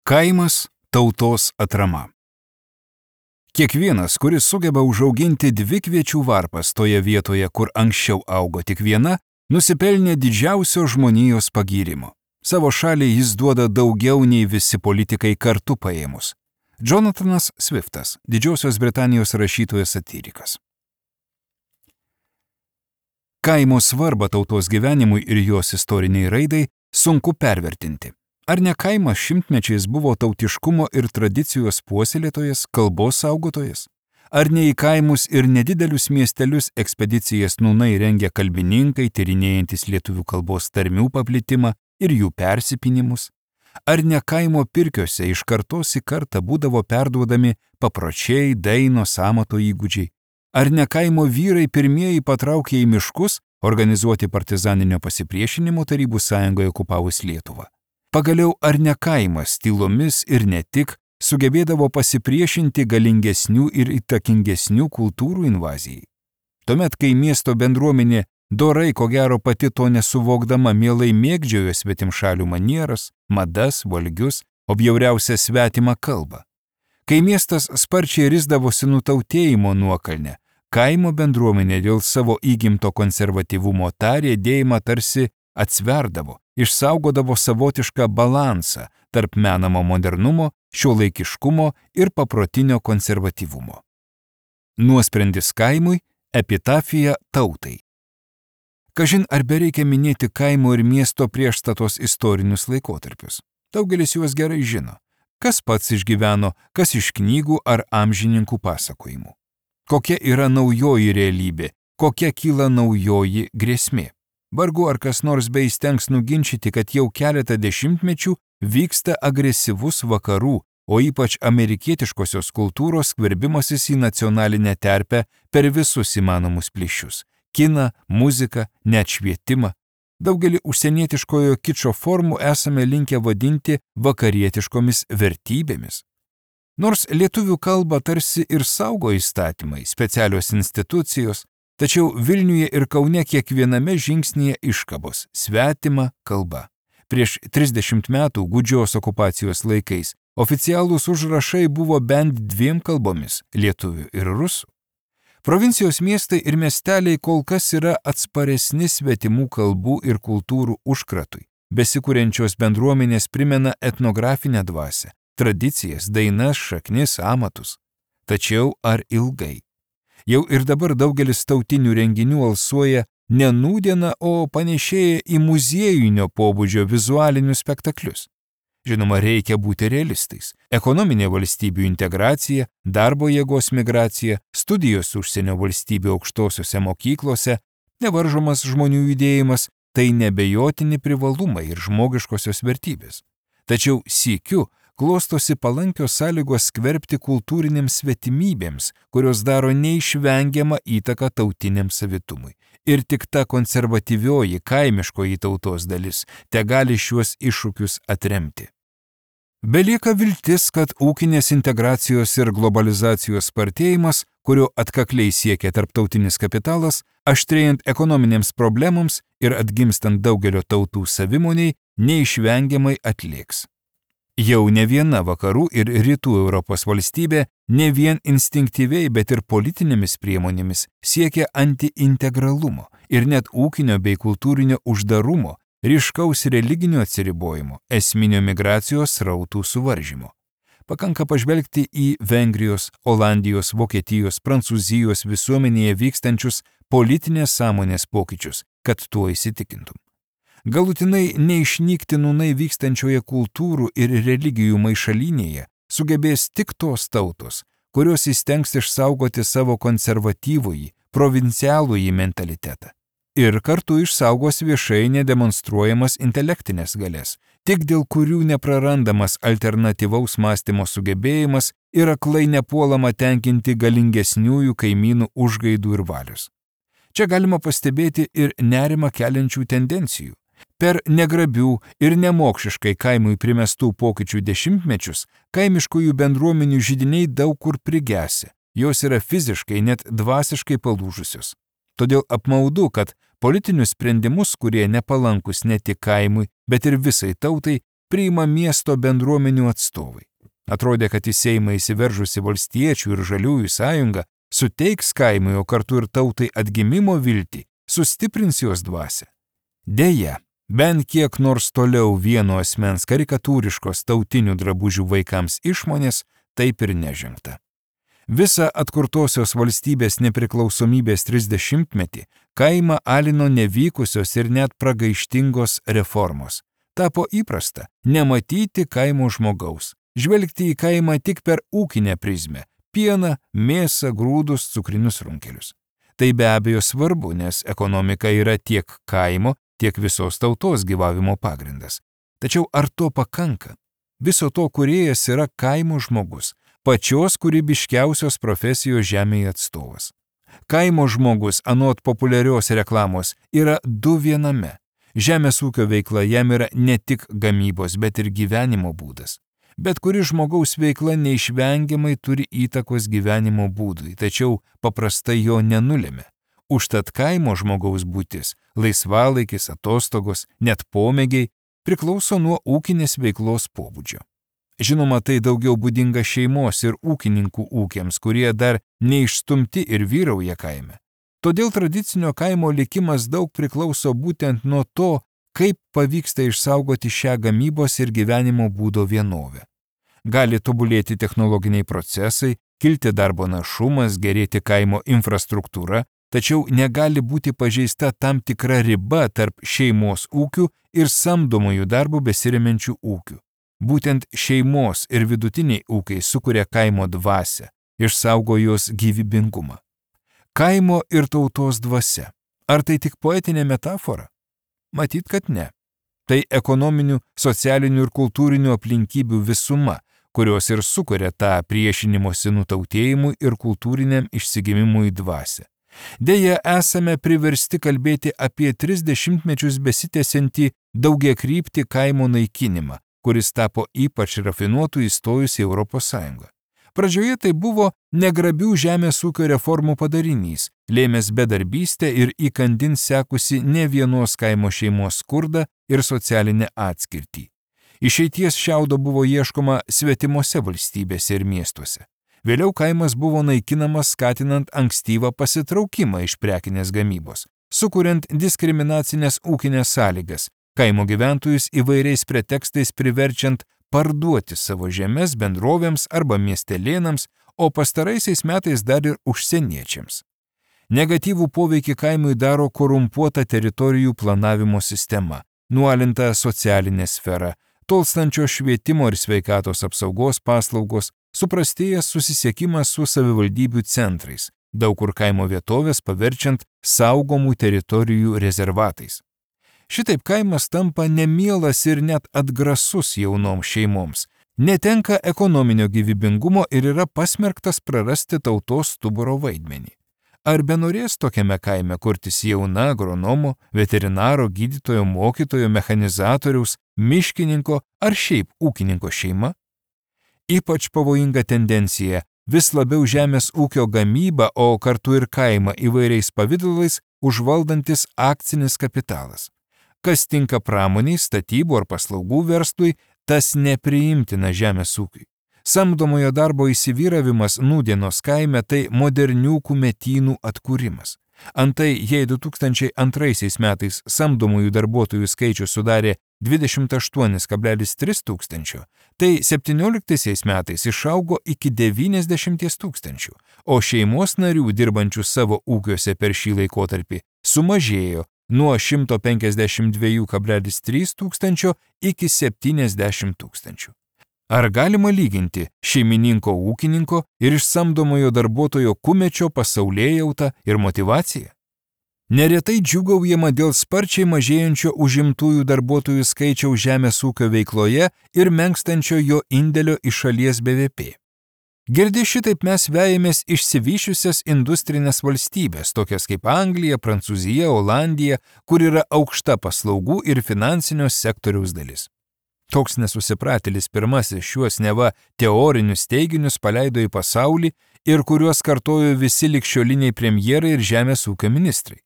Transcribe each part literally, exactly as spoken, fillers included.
Kaimas – tautos atrama. Kiekvienas, kuris sugeba užauginti dvi kviečių varpas toje vietoje, kur anksčiau augo tik viena, nusipelnė didžiausio žmonijos pagyrimo. Savo šaliai jis duoda daugiau nei visi politikai kartu paėmus. Jonathanas Swiftas, Didžiosios Britanijos rašytojas satyrikas. Kaimo svarbą tautos gyvenimui ir jos istoriniai raidai sunku pervertinti. Ar ne kaimas šimtmečiais buvo tautiškumo ir tradicijos puoselėtojas, kalbos saugotojas? Ar ne į kaimus ir nedidelius miestelius ekspedicijas nūnai rengia kalbininkai, tyrinėjantis lietuvių kalbos tarmių paplitimą ir jų persipynimus? Ar ne kaimo pirkiuose iš kartos į kartą būdavo perduodami papročiai, dainos, amato įgūdžiai? Ar ne kaimo vyrai pirmieji patraukė į miškus organizuoti partizaninio pasipriešinimo Tarybų Sąjungoje okupavus Lietuvą? Pagaliau, ar ne kaimas tylomis ir ne tik sugebėdavo pasipriešinti galingesnių ir įtakingesnių kultūrų invazijai? Tuomet, kai miesto bendruomenė dorai, ko gero pati to nesuvokdama, mielai mėgdžiojo svetimšalių manieras, madas, valgius, o bjauriausia svetimą kalbą. Kai miestas sparčiai risdavosi nutautėjimo nuokalne, kaimo bendruomenė dėl savo įgimto konservatyvumo tą riedėjimą tarsi atsverdavo, išsaugodavo savotišką balansą tarp menamo modernumo, šiuolaikiškumo ir paprotinio konservatyvumo. Nuosprendis kaimui – epitafija tautai. Kažin ar bereikia minėti kaimo ir miesto priešstatos istorinius laikotarpius. Daugelis juos gerai žino. Kas pats išgyveno, kas iš knygų ar amžininkų pasakojimų. Kokia yra naujoji realybė, kokia kyla naujoji grėsmė. Vargu ar kas nors beįstengs nuginčyti, kad jau keletą dešimtmečių vyksta agresyvus vakarų, o ypač amerikietiškosios kultūros skverbimasis į nacionalinę terpę per visus įmanomus plyšius – kiną, muziką, net švietimą. Daugelį užsienietiškojo kičo formų esame linkę vadinti vakarietiškomis vertybėmis. Nors lietuvių kalbą tarsi ir saugo įstatymai, specialios institucijos, tačiau Vilniuje ir Kaune kiekviename žingsnyje iškabos svetima kalba. Prieš trisdešimt metų gūdžios okupacijos laikais oficialūs užrašai buvo bent dviem kalbomis – lietuvių ir rusų. Provincijos miestai ir miesteliai kol kas yra atsparesni svetimų kalbų ir kultūrų užkratui. Besikuriančios bendruomenės primena etnografinę dvasią, tradicijas, dainas, šaknis, amatus. Tačiau ar ilgai? Jau ir dabar daugelis tautinių renginių alsuoja ne nūdieną, o panešėja į muziejinio pobūdžio vizualinius spektaklius. Žinoma, reikia būti realistais. Ekonominė valstybių integracija, darbo jėgos migracija, studijos užsienio valstybių aukštosiuose mokyklose, nevaržomas žmonių judėjimas – tai nebejotini privalumai ir žmogiškosios vertybės. Tačiau sykiu klostosi palankios sąlygos skverbti kultūrinėms svetimybėms, kurios daro neišvengiamą įtaką tautiniam savitumui. Ir tik ta konservatyvioji kaimiškoji tautos dalis tegali šiuos iššūkius atremti. Belieka viltis, kad ūkinės integracijos ir globalizacijos spartėjimas, kurio atkakliai siekia tarptautinis kapitalas, aštrėjant ekonominėms problemoms ir atgimstant daugelio tautų savimoniai, neišvengiamai atlėks. Jau ne viena vakarų ir rytų Europos valstybė ne vien instinktyviai, bet ir politinėmis priemonėmis siekia antiintegralumo ir net ūkinio bei kultūrinio uždarumo, ryškaus religinio atsiribojimo, esminio migracijos srautų suvaržymo. Pakanka pažvelgti į Vengrijos, Olandijos, Vokietijos, Prancūzijos visuomenėje vykstančius politinės sąmonės pokyčius, kad tuo įsitikintum. Galutinai neišnykti nūnai vykstančioje kultūrų ir religijų maišalynėje sugebės tik tos tautos, kurios įstengs išsaugoti savo konservatyvųjį, provincialųjį mentalitetą. Ir kartu išsaugos viešai nedemonstruojamas intelektinės galės, tik dėl kurių neprarandamas alternatyvaus mąstymo sugebėjimas ir aklai nepuolama tenkinti galingesniųjų kaimynų užgaidų ir valius. Čia galima pastebėti ir nerimą keliančių tendencijų. Per negrabių ir nemokšiškai kaimui primestų pokyčių dešimtmečius kaimiškųjų bendruomenių židiniai daug kur prigesę, jos yra fiziškai, net dvasiškai palūžusios. Todėl apmaudu, kad politinius sprendimus, kurie nepalankus ne tik kaimui, bet ir visai tautai, priima miesto bendruomenių atstovai. Atrodė, kad į Seimą įsiveržusi Valstiečių ir Žaliųjų sąjunga suteiks kaimui, o kartu ir tautai atgimimo viltį, sustiprins jos dvasią. Deja, bent kiek nors toliau vieno asmens karikatūriškos tautinių drabužių vaikams išmonės taip ir nežengta. Visą atkurtosios valstybės nepriklausomybės trisdešimtmetį kaimą alino nevykusios ir net pragaištingos reformos. Tapo įprasta nematyti kaimo žmogaus, žvelgti į kaimą tik per ūkinę prizmę – pieną, mėsą, grūdus, cukrinius runkelius. Tai be abejo svarbu, nes ekonomika yra tiek kaimo, tiek visos tautos gyvavimo pagrindas. Tačiau ar to pakanka? Viso to kūrėjas yra kaimo žmogus, pačios kūrybiškiausios profesijos žemėje atstovas. Kaimo žmogus, anot populiarios reklamos, yra du viename. Žemės ūkio veikla jam yra ne tik gamybos, bet ir gyvenimo būdas. Bet kuri žmogaus veikla neišvengiamai turi įtakos gyvenimo būdui, tačiau paprastai jo nenulėmė. Užtat kaimo žmogaus būtis, laisvalaikis, atostogos, net pomėgiai priklauso nuo ūkinės veiklos pobūdžio. Žinoma, tai daugiau būdinga šeimos ir ūkininkų ūkiams, kurie dar neišstumti ir vyrauja kaime. Todėl tradicinio kaimo likimas daug priklauso būtent nuo to, kaip pavyksta išsaugoti šią gamybos ir gyvenimo būdo vienovę. Gali tobulėti technologiniai procesai, kilti darbo našumas, gerėti kaimo infrastruktūra, tačiau negali būti pažeista tam tikra riba tarp šeimos ūkių ir samdomųjų darbų besiremiančių ūkių. Būtent šeimos ir vidutiniai ūkiai sukuria kaimo dvasią, išsaugo jos gyvybingumą. Kaimo ir tautos dvasia. Ar tai tik poetinė metafora? Matyt, kad ne. Tai ekonominių, socialinių ir kultūrinių aplinkybių visuma, kurios ir sukuria tą priešinimosi nutautėjimui ir kultūriniam išsigimimui dvasią. Deja, esame priversti kalbėti apie tris dešimtmečius besitęsiantį daugiakryptį kaimo naikinimą, kuris tapo ypač rafinuotų įstojus į Europos Sąjungą. Pradžioje tai buvo negrabių žemės ūkio reformų padarinys, lėmęs bedarbystę ir įkandin sekusi ne vienos kaimo šeimos skurdą ir socialinę atskirtį. Išeities šiaudo buvo ieškoma svetimose valstybėse ir miestuose. Vėliau kaimas buvo naikinamas skatinant ankstyvą pasitraukimą iš prekinės gamybos, sukuriant diskriminacinės ūkinės sąlygas, kaimo gyventojus įvairiais pretekstais priverčiant parduoti savo žemes bendrovėms arba miestelėnams, o pastaraisiais metais dar ir užsieniečiams. Negatyvų poveikį kaimui daro korumpuota teritorijų planavimo sistema, nualinta socialinė sfera, tolstančio švietimo ir sveikatos apsaugos paslaugos, suprastėjęs susisiekimas su savivaldybių centrais, daug kur kaimo vietovės paverčiant saugomų teritorijų rezervatais. Šitaip kaimas tampa nemielas ir net atgrasus jaunoms šeimoms, netenka ekonominio gyvybingumo ir yra pasmerktas prarasti tautos stuburo vaidmenį. Ar benorės tokiame kaime kurtis jauna agronomo, veterinaro, gydytojo, mokytojo, mechanizatoriaus, miškininko ar šiaip ūkininko šeima? Ypač pavojinga tendencija vis labiau žemės ūkio gamybą, o kartu ir kaimą įvairiais pavidalais užvaldantis akcinis kapitalas. Kas tinka pramoniai, statybų ar paslaugų verslui, tas nepriimtina žemės ūkiui. Samdomojo darbo įsivyravimas nūdienos kaime tai modernių kumetynų atkūrimas. Antai, jei du tūkstančiai antraisiais metais samdomųjų darbuotojų skaičius sudarė dvidešimt aštuoni kablelis trys tūkstančio, tai septynioliktaisiais metais išaugo iki devyniasdešimt tūkstančių, o šeimos narių dirbančių savo ūkiuose per šį laikotarpį sumažėjo nuo šimto penkiasdešimt du kablelis trys tūkstančio iki septyniasdešimt tūkstančių. Ar galima lyginti šeimininko ūkininko ir išsamdomojo darbuotojo kumečio pasaulėjautą ir motivaciją? Neretai džiūgaujama dėl sparčiai mažėjančio užimtųjų darbuotojų skaičiaus žemės ūkio veikloje ir menkstančio jo indėlio į šalies B V P. Girdi, šitaip mes vejamės išsivyšiusias industrinės valstybės, tokias kaip Anglija, Prancūzija, Olandija, kur yra aukšta paslaugų ir finansinio sektoriaus dalis. Toks nesusipratėlis pirmasis šiuos neva teorinius teiginius paleido į pasaulį ir kuriuos kartojo visi ligšioliniai premjerai ir žemės ūkio ministrai.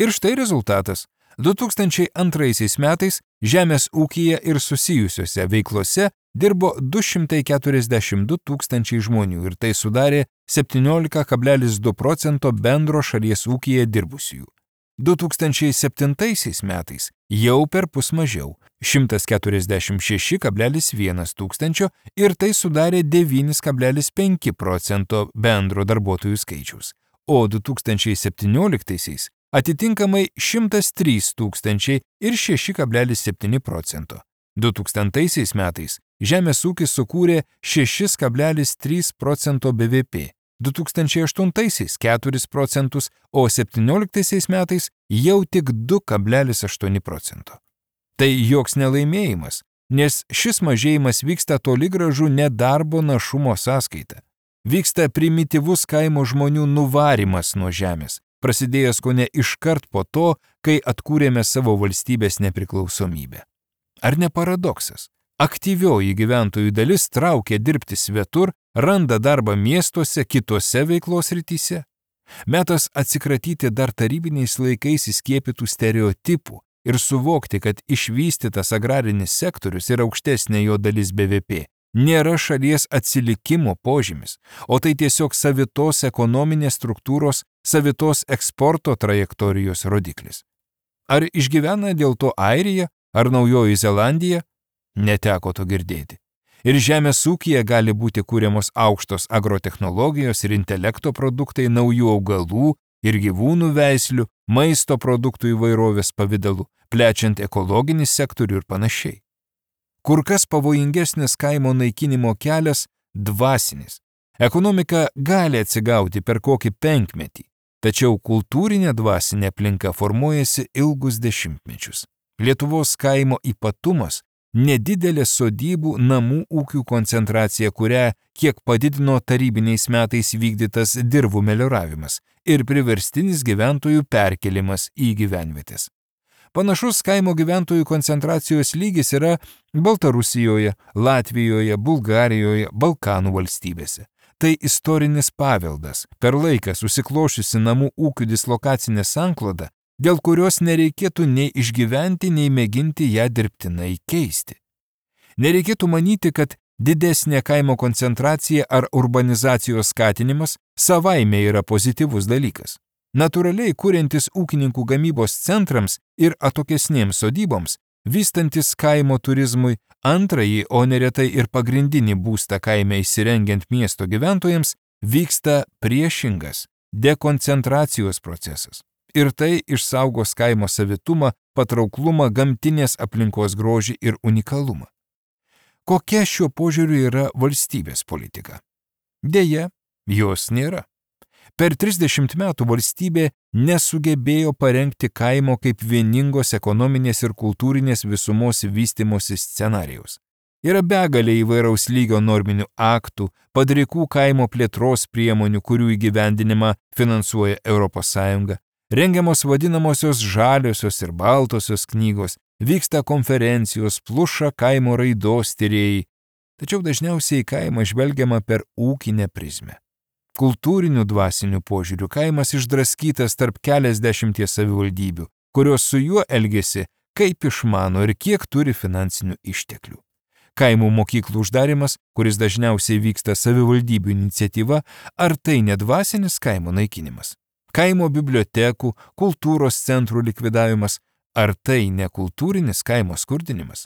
Ir štai rezultatas. du tūkstančiai antraisiais metais žemės ūkyje ir susijusiose veiklose dirbo du šimtai keturiasdešimt du tūkstančiai žmonių ir tai sudarė septyniolika kablelis du procento bendro šalies ūkyje dirbusiųjų. du tūkstančiai septintaisiais metais jau per pus mažiau – šimtas keturiasdešimt šeši kablelis vienas tūkstančio ir tai sudarė devyni kablelis penki procento bendro darbuotojų skaičiaus, o du tūkstančiai septynioliktaisiais atitinkamai šimtas trys tūkstančiai ir šeši kablelis septyni procento. du tūkstantaisiais metais žemės ūkis sukūrė šeši kablelis trys procento B V P, du tūkstančiai aštuntaisiais keturis procentus, o septynioliktaisiais metais jau tik du kablelis aštuoni procento. Tai joks nelaimėjimas, nes šis mažėjimas vyksta toli gražu ne darbo našumo sąskaita. Vyksta primityvus kaimo žmonių nuvarimas nuo žemės, prasidėjęs kone iškart po to, kai atkūrėme savo valstybės nepriklausomybę. Ar ne paradoksas? Aktyvioji gyventojų dalis traukia dirbti svetur, randa darbą miestuose, kitose veiklos rytise. Metas atsikratyti dar tarybiniais laikais įskiepytų stereotipų ir suvokti, kad išvystytas agrarinis sektorius ir aukštesnė jo dalis B V P nėra šalies atsilikimo požymis, o tai tiesiog savitos ekonominės struktūros, savitos eksporto trajektorijos rodiklis. Ar išgyvena dėl to Airija ar Naujoji Zelandija? Neteko to girdėti. Ir žemės ūkyje gali būti kūriamos aukštos agrotechnologijos ir intelekto produktai naujų augalų ir gyvūnų veislių, maisto produktų įvairovės pavidalu, plečiant ekologinį sektorių ir panašiai. Kur kas pavojingesnis kaimo naikinimo kelias – dvasinis. Ekonomika gali atsigauti per kokį penkmetį, tačiau kultūrinė dvasinė aplinka formuojasi ilgus dešimtmečius. Lietuvos kaimo ypatumas – nedidelė sodybų namų ūkių koncentracija, kurią kiek padidino tarybiniais metais vykdytas dirvų melioravimas ir priverstinis gyventojų perkelimas į gyvenvietės. Panašus kaimo gyventojų koncentracijos lygis yra Baltarusijoje, Latvijoje, Bulgarijoje, Balkanų valstybėse. Tai istorinis paveldas, per laiką susiklošiusi namų ūkių dislokacinė sankloda, dėl kurios nereikėtų nei išgyventi, nei mėginti ją dirbtinai keisti. Nereikėtų manyti, kad didesnė kaimo koncentracija ar urbanizacijos skatinimas savaime yra pozityvus dalykas. Natūraliai kuriantis ūkininkų gamybos centrams ir atokesnėms sodyboms, vystantis kaimo turizmui, antrąjį, o neretai ir pagrindinį būstą kaime įsirengiant miesto gyventojams, vyksta priešingas dekoncentracijos procesas. Ir tai išsaugos kaimo savitumą, patrauklumą, gamtinės aplinkos grožį ir unikalumą. Kokia šiuo požiūriu yra valstybės politika? Deja, jos nėra. Per trisdešimt metų valstybė nesugebėjo parengti kaimo kaip vieningos ekonominės ir kultūrinės visumos vystymosi scenarijaus. Yra begalė įvairaus lygio norminių aktų, padrikų kaimo plėtros priemonių, kurių įgyvendinimą finansuoja Europos Sąjunga. Rengiamos vadinamosios žaliosios ir baltosios knygos, vyksta konferencijos, pluša kaimo raidos tyrėjai, tačiau dažniausiai kaimą žvelgiama per ūkinę prizmę. Kultūrinių dvasinių požiūrių kaimas išdraskytas tarp keliasdešimties savivaldybių, kurios su juo elgiasi, kaip išmano ir kiek turi finansinių išteklių. Kaimų mokyklų uždarimas, kuris dažniausiai vyksta savivaldybių iniciatyva, ar tai ne dvasinis kaimo naikinimas? Kaimo bibliotekų, kultūros centrų likvidavimas, ar tai ne kultūrinis kaimo skurdinimas?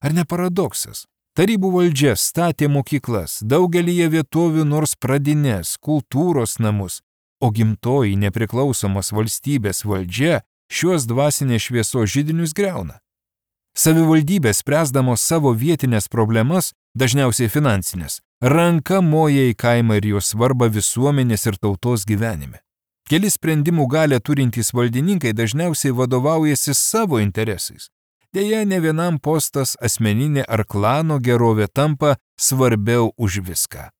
Ar ne paradoksas? Tarybų valdžia statė mokyklas, daugelyje vietovių nors pradines, kultūros namus, o gimtoji nepriklausomos valstybės valdžia šiuos dvasinės šviesos židinius griauna. Savivaldybės, spręsdamos savo vietinės problemas, dažniausiai finansinės, ranka moja į kaimą ir jo svarbą visuomenės ir tautos gyvenime. Keli sprendimų galią turintys valdininkai dažniausiai vadovaujasi savo interesais. Deja, ne vienam postas, asmeninė ar klano gerovė tampa svarbiau už viską.